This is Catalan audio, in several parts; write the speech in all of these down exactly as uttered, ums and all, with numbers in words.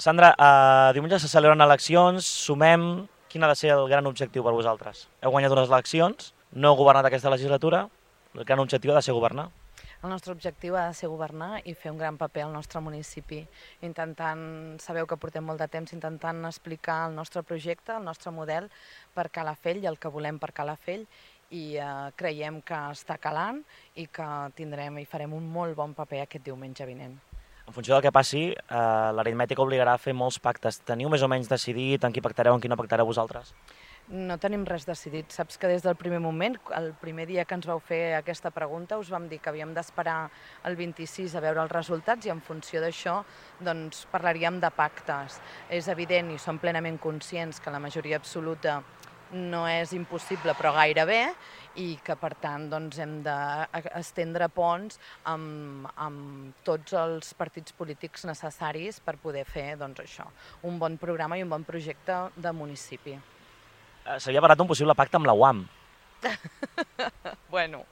Sandra, uh, diumenge se celebren eleccions, sumem... Quin ha de ser el gran objectiu per vosaltres? Heu guanyat unes eleccions, no heu governat aquesta legislatura, el gran objectiu ha de ser governar. El nostre objectiu ha de ser governar i fer un gran paper al nostre municipi, intentant, sabeu que portem molt de temps intentant explicar el nostre projecte, el nostre model per Calafell i el que volem per Calafell, i eh, creiem que està calant i que tindrem i farem un molt bon paper aquest diumenge vinent. En funció del que passi, eh, l'aritmètica obligarà a fer molts pactes. Teniu més o menys decidit en qui pactareu, en qui no pactareu vosaltres? No tenim res decidit. Saps que des del primer moment, el primer dia que ens vau fer aquesta pregunta, us vam dir que havíem d'esperar el vint-i-sis a veure els resultats i en funció d'això doncs, parlaríem de pactes. És evident i som plenament conscients que la majoria absoluta no és impossible, però gairebé, i que per tant doncs, hem d'estendre ponts amb, amb tots els partits polítics necessaris per poder fer doncs, això, un bon programa i un bon projecte de municipi. S'havia parlat d'un possible pacte amb la U A M. Bueno,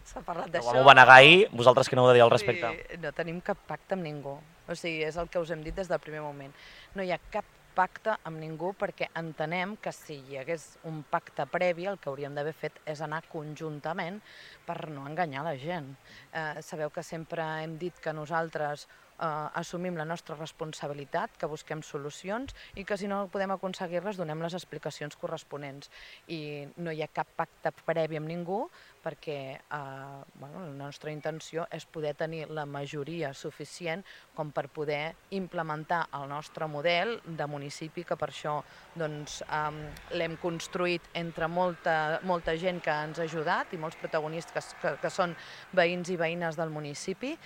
s'ha parlat d'això. La U A M ho va negar ahir, vosaltres què n'heu de dir al respecte? Sí, no tenim cap pacte amb ningú. O sigui, és el que us hem dit des del primer moment. No hi ha cap pacte amb ningú perquè entenem que si hi hagués un pacte previ el que hauríem d'haver fet és anar conjuntament per no enganyar la gent. Eh, sabeu que sempre hem dit que nosaltres eh, assumim la nostra responsabilitat, que busquem solucions i que si no podem aconseguir-les donem les explicacions corresponents. I no hi ha cap pacte previ amb ningú perquè eh, bueno, la nostra intenció és poder tenir la majoria suficient com per poder implementar el nostre model de municipi, que per això doncs, eh, l'hem construït entre molta, molta gent que ens ha ajudat i molts protagonistes que, que són veïns i veïnes del municipi,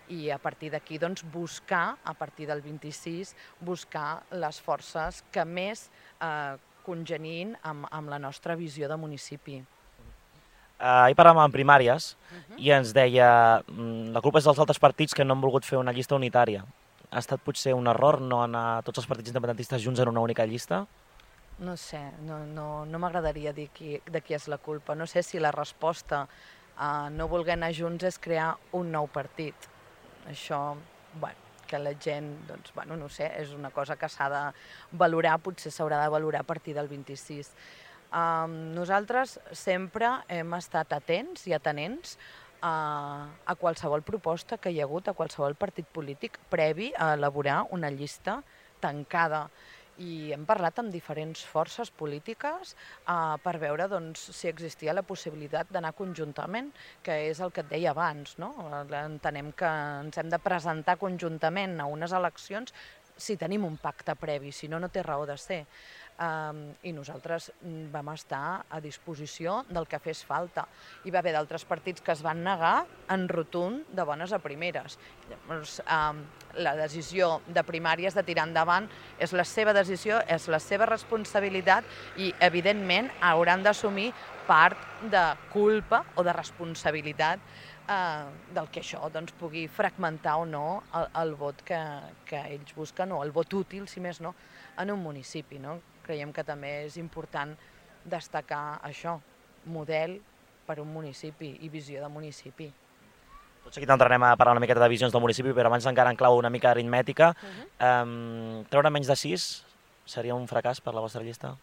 i a partir d'aquí doncs, buscar, a partir del vint-i-sis, buscar les forces que més eh, congenien amb, amb la nostra visió de municipi. Uh, ahir parlàvem en primàries uh-huh. i ens deia mm, la culpa és dels altres partits que no han volgut fer una llista unitària. Ha estat potser un error no anar tots els partits independentistes junts en una única llista? No sé, no, no, no m'agradaria dir qui, de qui és la culpa. No sé si la resposta a no voler anar junts és crear un nou partit. Això, bueno, que la gent, doncs, bueno, no sé, és una cosa que s'ha de valorar, potser s'haurà de valorar a partir del vint-i-sis. Um, nosaltres sempre hem estat atents i atenents a, a qualsevol proposta que hi ha hagut, a qualsevol partit polític previ a elaborar una llista tancada. I hem parlat amb diferents forces polítiques uh, per veure doncs, si existia la possibilitat d'anar conjuntament, que és el que et deia abans, no? Entenem que ens hem de presentar conjuntament a unes eleccions si tenim un pacte previ, si no, no té raó de ser. Um, I nosaltres vam estar a disposició del que fes falta. Hi va haver d'altres partits que es van negar en rotund de bones a primeres. Llavors, um, la decisió de primàries de tirar endavant és la seva decisió, és la seva responsabilitat i, evidentment, hauran d'assumir part de culpa o de responsabilitat eh, del que això doncs, pugui fragmentar o no el, el vot que, que ells busquen, o el vot útil, si més no, en un municipi, no? Creiem que també és important destacar això, model per un municipi i visió de municipi. Tot seguit entrarem a parlar una miqueta de visions del municipi, però abans encara en clau una mica aritmètica. Uh-huh. um, treure menys de sis seria un fracàs per la vostra llista?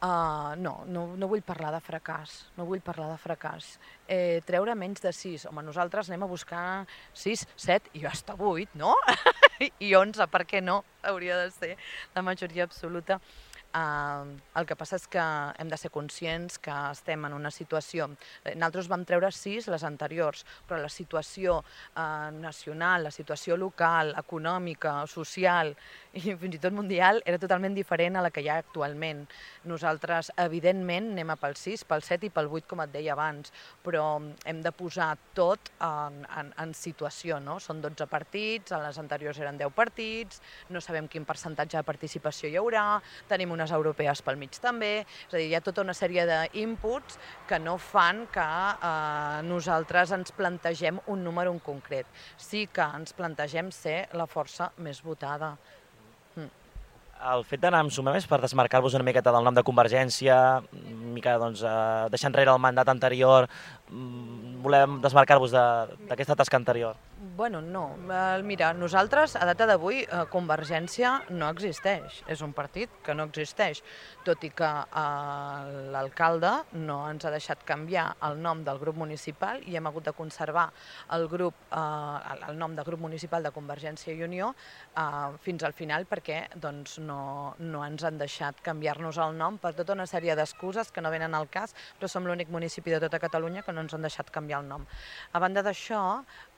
Uh, no, no, no vull parlar de fracàs, no vull parlar de fracàs. Eh, treure menys de sis, home, nosaltres anem a buscar sis, set i hasta vuit, no? I onze, per què no? Hauria de ser la majoria absoluta. Uh, el que passa és que hem de ser conscients que estem en una situació... Nosaltres vam treure sis les anteriors, però la situació uh, nacional, la situació local, econòmica, social i fins i tot mundial era totalment diferent a la que hi ha actualment. Nosaltres, evidentment, anem a pel sis, pel set i pel vuit, com et deia abans, però hem de posar tot en, en, en situació, no? Són dotze partits, a les anteriors eren deu partits, no sabem quin percentatge de participació hi haurà, tenim unes europees pel mig també, és a dir, hi ha tota una sèrie d'inputs que no fan que eh, nosaltres ens plantegem un número en concret. Sí que ens plantegem ser la força més votada. El fet d'anar amb Sumem per desmarcar-vos una miqueta del nom de Convergència, una mica doncs, deixar enrere el mandat anterior, volem desmarcar-vos d'aquesta tasca anterior. Bueno, no. Mira, nosaltres, a data d'avui, Convergència no existeix. És un partit que no existeix, tot i que l'alcalde no ens ha deixat canviar el nom del grup municipal i hem hagut de conservar el grup, el nom de grup municipal de Convergència i Unió fins al final perquè doncs, no, no ens han deixat canviar-nos el nom per tota una sèrie d'excuses que no venen al cas, però som l'únic municipi de tota Catalunya que no ens han deixat canviar el nom. A banda d'això,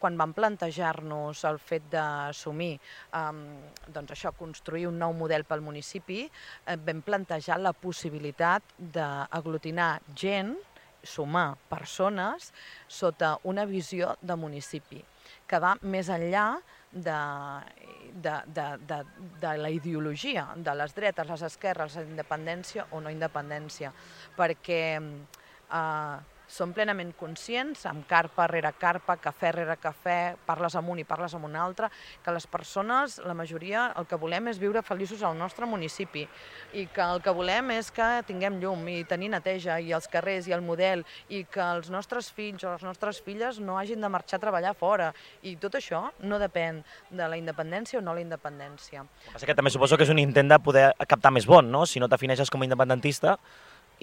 quan vam plantejar-nos el fet d'assumir, doncs això, construir un nou model pel municipi, vam plantejar la possibilitat d'aglutinar gent, sumar persones, sota una visió de municipi, que va més enllà de, de, de, de, de la ideologia, de les dretes, les esquerres, la independència o no independència, perquè eh, som plenament conscients, amb carpa rere carpa, cafè rere cafè, parles amunt i parles amb un altre, que les persones, la majoria, el que volem és viure feliços al nostre municipi i que el que volem és que tinguem llum i tenir neteja i els carrers i el model i que els nostres fills o les nostres filles no hagin de marxar a treballar fora i tot això no depèn de la independència o no la independència. El que passa que també suposo que és un intent de poder captar més vot, no? Si no t'afineixes com a independentista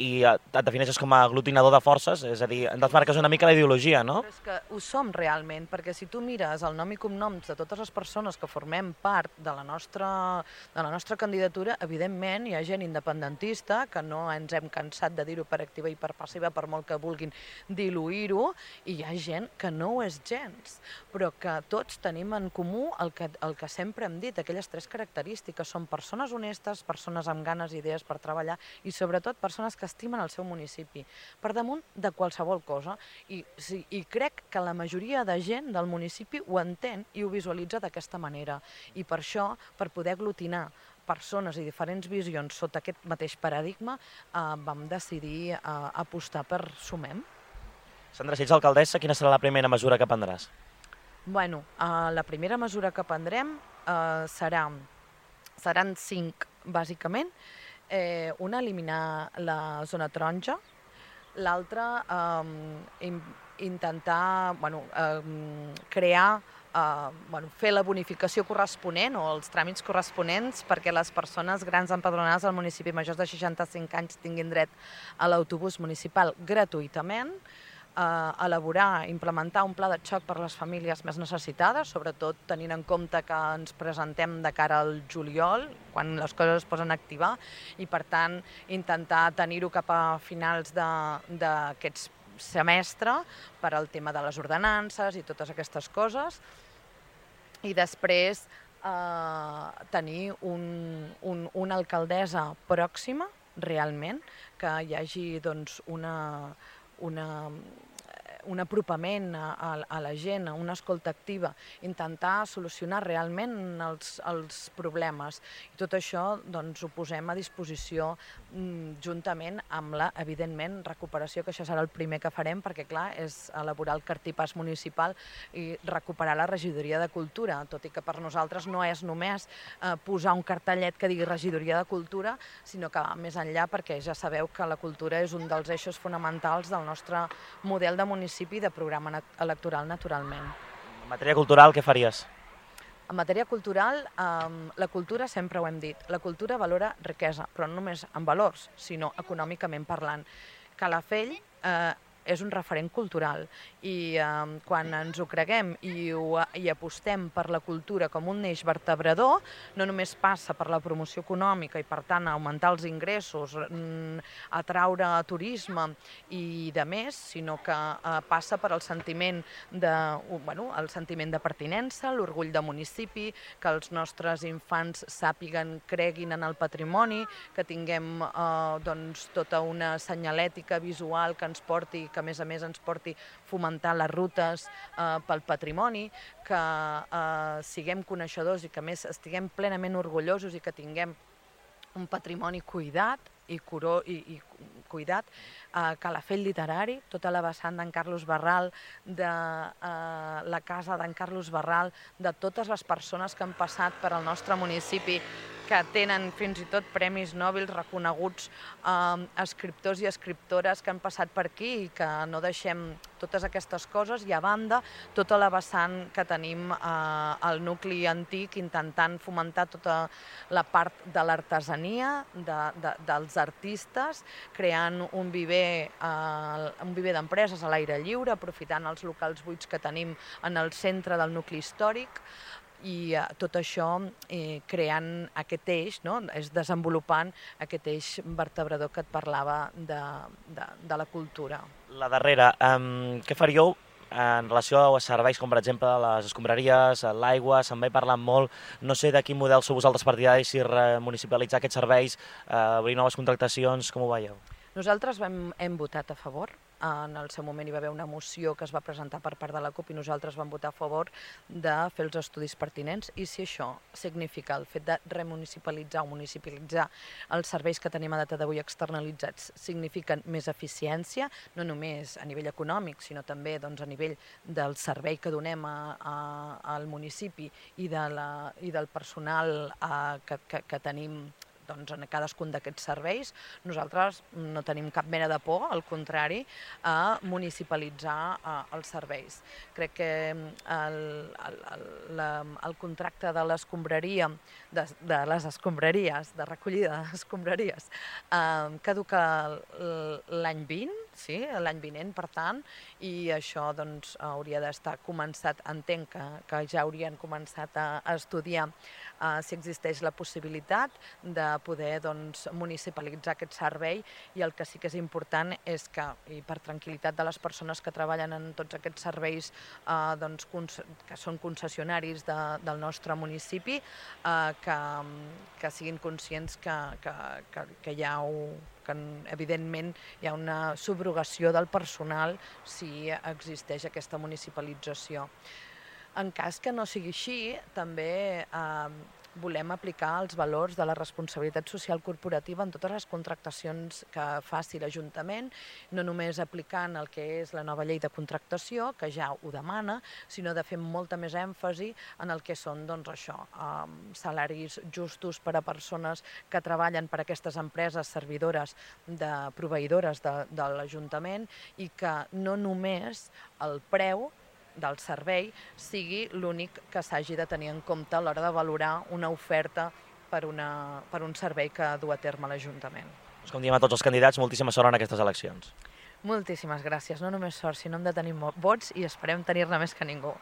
i et defineixes com a aglutinador de forces, és a dir, et desmarques una mica la ideologia, no? Però és que ho som realment, perquè si tu mires el nom i cognoms de totes les persones que formem part de la nostra, de la nostra candidatura, evidentment hi ha gent independentista, que no ens hem cansat de dir-ho per activa i per passiva, per molt que vulguin diluir-ho, i hi ha gent que no ho és gens, però que tots tenim en comú el que, el que sempre hem dit, aquelles tres característiques, són persones honestes, persones amb ganes i idees per treballar i sobretot persones que que estimen el seu municipi, per damunt de qualsevol cosa. I, sí, i crec que la majoria de gent del municipi ho entén i ho visualitza d'aquesta manera. I per això, per poder aglutinar persones i diferents visions sota aquest mateix paradigma, eh, vam decidir eh, apostar per Sumem. Sandra, si ets alcaldessa, quina serà la primera mesura que prendràs? Bueno, eh, la primera mesura que prendrem eh, serà, seran cinc, bàsicament. Eh, una, eliminar la zona taronja, l'altra, eh, in, intentar bueno, eh, crear, eh, bueno, fer la bonificació corresponent o els tràmits corresponents perquè les persones grans empadronades al municipi majors de seixanta-cinc anys tinguin dret a l'autobús municipal gratuïtament, Uh, elaborar, implementar un pla de xoc per a les famílies més necessitades, sobretot tenint en compte que ens presentem de cara al juliol, quan les coses es posen a activar, i per tant intentar tenir-ho cap a finals d'aquest semestre per al tema de les ordenances i totes aquestes coses, i després uh, tenir un, un, una alcaldessa pròxima, realment, que hi hagi doncs, una... Una, un apropament a, a la gent, una escolta activa, intentar solucionar realment els, els problemes. I tot això doncs, ho posem a disposició mm, juntament amb la, evidentment, recuperació, que això serà el primer que farem, perquè clar, és elaborar el cartipàs municipal i recuperar la regidoria de cultura, tot i que per nosaltres no és només eh, posar un cartellet que digui regidoria de cultura, sinó que va més enllà, perquè ja sabeu que la cultura és un dels eixos fonamentals del nostre model de municipi de programa electoral, naturalment. En matèria cultural, què faries? En matèria cultural, eh, la cultura, sempre ho hem dit, la cultura valora riquesa, però no només en valors, sinó econòmicament parlant. Calafell eh, és un referent cultural i eh, quan ens ho creguem i, ho, i apostem per la cultura com un eix vertebrador, no només passa per la promoció econòmica i per tant augmentar els ingressos, atraure turisme i de més, sinó que eh, passa per el sentiment de, bueno, el sentiment de pertinença, l'orgull de municipi, que els nostres infants sàpiguen, creguin en el patrimoni, que tinguem eh, doncs, tota una senyalètica visual que ens porti, que a més a més ens porti fomentar les rutes eh, pel patrimoni, que eh, siguem coneixedors i que a més estiguem plenament orgullosos i que tinguem un patrimoni cuidat i, curó, i, i cuidat, eh, Calafell literari, tota la vessant d'en Carlos Barral, de eh, la casa d'en Carlos Barral, de totes les persones que han passat per al nostre municipi, que tenen fins i tot premis Nobel reconeguts, eh, escriptors i escriptores que han passat per aquí i que no deixem totes aquestes coses i a banda tota la vessant que tenim eh, al nucli antic intentant fomentar tota la part de l'artesania, de, de, dels artistes, creant un viver, eh, un viver d'empreses a l'aire lliure, aprofitant els locals buits que tenim en el centre del nucli històric, i eh, tot això eh, creant aquest eix, no? És desenvolupant aquest eix vertebrador que et parlava de, de, de la cultura. La darrera, um, què faríeu en relació a serveis com, per exemple, les escombraries, l'aigua? Se'n va parlant molt. No sé de quin model sou vosaltres partidaris, si municipalitzar aquests serveis, eh, obrir noves contractacions, com ho veieu? Nosaltres vam, hem votat a favor. En el seu moment hi va haver una moció que es va presentar per part de la CUP i nosaltres vam votar a favor de fer els estudis pertinents, i si això significa el fet de remunicipalitzar o municipalitzar els serveis que tenim a data d'avui externalitzats signifiquen més eficiència, no només a nivell econòmic, sinó també doncs, a nivell del servei que donem a, a, al municipi i, de la, i del personal a, que, que, que tenim doncs, en cadascun d'aquests serveis, nosaltres no tenim cap mena de por, al contrari, a municipalitzar uh, els serveis. Crec que el, el, el, la, el contracte de l'escombraria, de, de les escombraries, de recollida d'escombraries, uh, caduca l'any vint, sí, l'any vinent, per tant, i això doncs, hauria d'estar començat, entenc que, que ja haurien començat a, a estudiar uh, si existeix la possibilitat de poder doncs, municipalitzar aquest servei, i el que sí que és important és que, i per tranquil·litat de les persones que treballen en tots aquests serveis eh, doncs, que són concessionaris de, del nostre municipi, eh, que, que siguin conscients que, que, que, que hi ha un, que evidentment hi ha una subrogació del personal si existeix aquesta municipalització. En cas que no sigui així, també eh, volem aplicar els valors de la responsabilitat social corporativa en totes les contractacions que faci l'Ajuntament, no només aplicant el que és la nova llei de contractació, que ja ho demana, sinó de fer molta més èmfasi en el que són doncs, això, eh, salaris justos per a persones que treballen per a aquestes empreses servidores de proveïdores de, de l'Ajuntament, i que no només el preu del servei sigui l'únic que s'hagi de tenir en compte a l'hora de valorar una oferta per, una, per un servei que du a terme l'Ajuntament. Com diem a tots els candidats, moltíssima sort en aquestes eleccions. Moltíssimes gràcies. No només sort, sinó hem de tenir vots i esperem tenir-ne més que ningú.